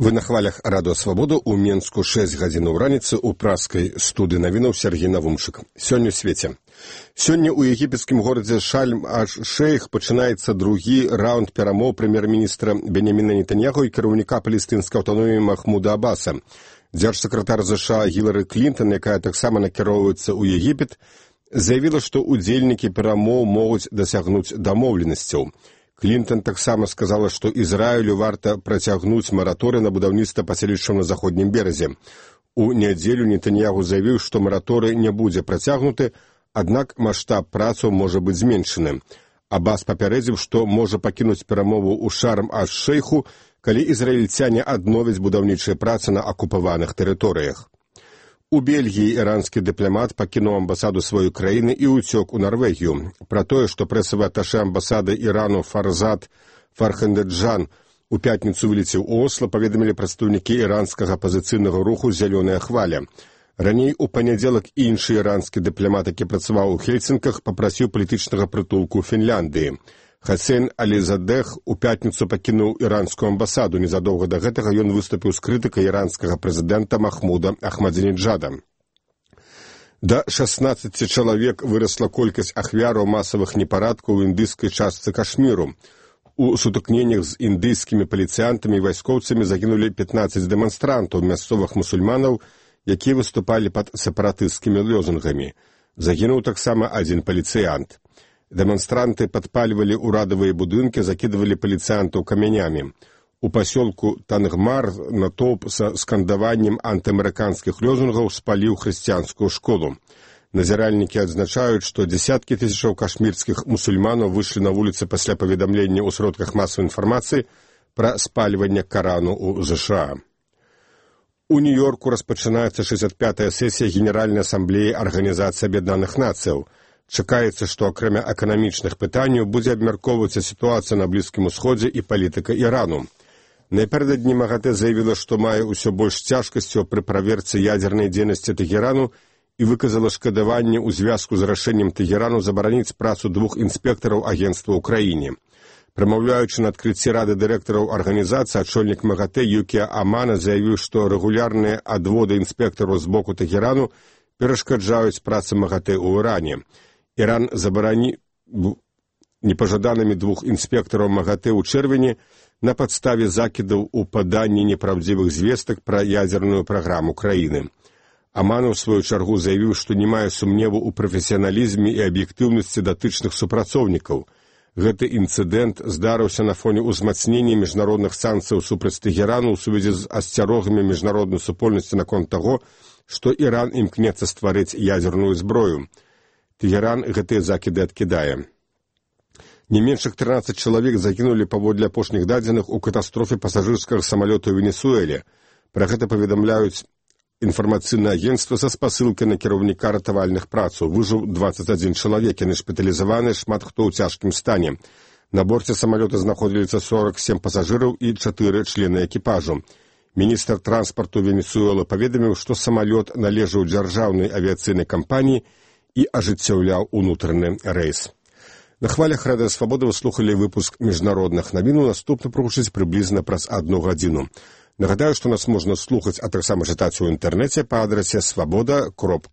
Вы на хвалях Радыё Свабода ў Менску 6 гадзінаў раніцы ў праскай студыі навінаў Сергей Навумчык. Сёння ў свеце. Сёння ў егіпецкім горадзе Шарм-аш-Шейх пачынаецца другі раунд перамоў прэм'ер-міністра Беняміна Нетаньяху і кіраўніка палестынскай аўтаноміі Махмуда Аббаса. Дзяржсакратар США Гілары Клінтон, якая таксама накіроўваецца ў Егіпет, заявіла, што удзельнікі перамоў могуць дасягнуць дамоўленасцяў. Клінтон таксама сказала, што Ізраілю варта працягнуць мараторый на будаўніцтва паселішчаў на заходнім беразе. У нядзелю Нетаньяху заявіў, што мараторый не будзе працягнуты, аднак маштаб працаў можа быць зменшаны. Аббас папярэдзіў, што можа пакінуць перамову ў Шарм-аш-Шейху, калі ізраільцяне адновяць будаўнічыя працы на акупаваных тэрыторыях. У Бельгіі іранскі дыпламат пакінуў амбасаду сваёй краіны і ўцёк у Нарвегію. Пра тое, што прэсавы аташэ амбасады Ірану Фарзад Фархандэджан у пятніцу вылецеў у Осло, паведамілі прадстаўнікі іранскага апазіцыйнага руху «Зялёная хваля». Раней у панядзелак іншы іранскі дыпламат, які працаваў у Хельсінках, папрасіў палітычнага прытулку ў Фінляндыі. Хасейн Алізадэх у пятніцу пакінуў іранскую амбасаду. Незадоўга да гэтага ён выступіў з крытыкай іранскага прэзідэнта Махмуда Ахмадзінеджада. Да 16 чалавек вырасла колькасць ахвяраў масавых непарадкаў у індыйскай частцы Кашміру. У сутыкненнях з індыйскімі паліцыянтамі і вайскоўцамі загінулі 15 дэманстрантаў, мясцовых мусульманаў, якія выступалі пад сепаратысцкімі лозунгамі. Загінуў таксама адзін паліцыянт. Дэманстранты падпальвалі ўрадавыя будынкі, закідвалі паліцыянтаў камянямі. У пасёлку Тангмар натоўп са скандаваннем антыамерыканскіх лозунгаў спаліў хрысціянскую школу. Назіральнікі адзначаюць, што дзесяткі тысячаў кашмірскіх мусульманаў выйшлі на вуліцы пасля паведамлення ў сродках масавай інфармацыі пра спальванне Карану ў ЗША. У Нью-Йорку распачынаецца 65-я сесія Генеральнай асамблеі Арганізацыі Аб'яднаных Нацыяў. Чакаецца, што акрамя эканамічных пытанняў будзе абмяркоўвацца сітуацыя на Блізкім Усходзе і палітыка Ірану. Напярэдадні МАГАТЭ заявіла, што мае ўсё больш цяжкасцяў пры праверцы ядзернай дзейнасці Тэгерану і выказала шкадаванне ў звязку з рашэннем Тэгерану забараніць працу 2 інспектараў агенцтва ў краіне. Прамаўляючы на адкрыцці рады дырэктараў арганізацыі, ачольнік МАГАТЭ Юкія Амана заявіў, што рэгулярныя адводы інспектараў з боку Тэгерану перашкаджаюць працы МАГАТЭ ў Іране. Іран забараніў непажаданымі 2 інспектараў МАГАТЭ ў чэрвені на падставе закідаў у паданні непраўдзівых звестак пра ядзерную праграму краіны. Аман у сваю чаргу заявіў, што не мае сумневу ў прафесіяналізме і аб'ектыўнасці датычных супрацоўнікаў. Гэты інцыдэнт здарыўся на фоне ўзмацнення міжнародных санкцыяў супраць Тэгерану ў сувязі з асцярогамі міжнароднай супольнасці наконт таго, што Іран імкнецца стварыць ядзерную зброю. Тэгеран гэтыя закіды адкідае. Не меншых 13 чалавек загінулі паводле апошніх дадзеных у катастрофе пасажырскага самалёта ў Венесуэле. Пра гэта паведамляюць інфармацыйнае агенцтва са спасылкай на кіраўніка ратавальных працаў. Выжыў 21 чалавек, яны шпіталізаваны, шмат хто ў цяжкім стане. На борце самалёта знаходзіліся 47 пасажыраў і 4 члены экіпажу. Міністр транспарту Венесуэлы паведаміў, што самалёт належаў дзяржаўнай авіяцыйнай кампаніі і ажыццяўляў унутраны рэйс. На хвалях Радыё Свабода вы слухалі выпуск міжнародных навін. Наступны прагучыць прыблізна праз 1 гадзіну. Нагадаю, што нас можна слухаць, а таксама чытаць у інтэрнэце па адрасе swaboda.org.